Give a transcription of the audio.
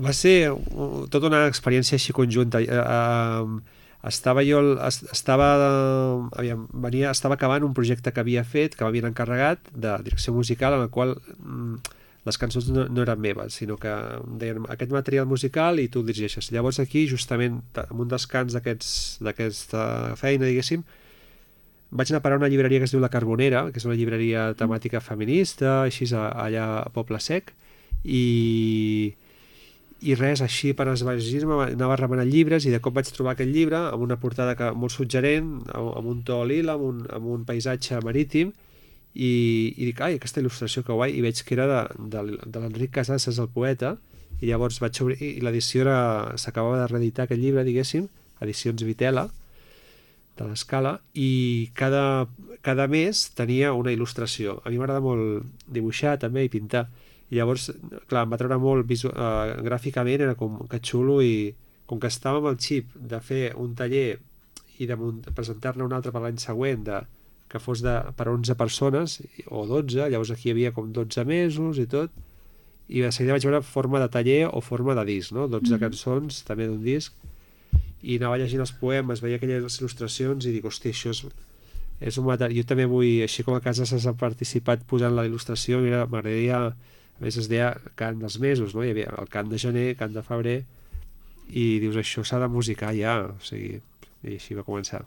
Va ser tota una experiència així conjunta. Estava jo, estava, estava acabant un projecte que havia fet, que m'havien encarregat, de direcció musical, en el qual les cançons no eren meves, sinó que em deien aquest material musical i tu el dirigeixes. Llavors aquí, justament, en un descans d'aquesta feina, diguéssim, vaig anar a parar a una llibreria que es diu La Carbonera, que és una llibreria temàtica feminista, així allà a Poble Sec, i, i res, així per esvair-me anava remenant llibres i de cop vaig trobar aquest llibre amb una portada molt suggerent, amb un to lila, amb un paisatge marítim, i dic, ai, aquesta il·lustració que guai, i veig que era de l'Enric Casasses, el poeta, i llavors vaig obrir, i l'edició s'acabava de reeditar aquest llibre, diguéssim, Edicions Vitela, de l'Escala, i cada mes tenia una il·lustració. A mi m'agrada molt dibuixar també i pintar, i llavors, clar, em va treure molt gràficament, era com que xulo, i com que estava amb el xip de fer un taller i de presentar-ne un altre per l'any següent que fos per 11 persones o 12, llavors aquí hi havia com 12 mesos i tot, i de seguida vaig veure forma de taller o forma de disc, no? 12 cançons també d'un disc, i anava llegint els poemes, veia aquelles il·lustracions i dic, hòstia, això és un material. Jo també vull, així com a casa s'ha participat posant la il·lustració, mira, m'agradaria, a més es deia cant dels mesos, no? Hi havia el cant de gener, cant de febrer, i dius, això s'ha de musicar ja, o sigui, i així va començar.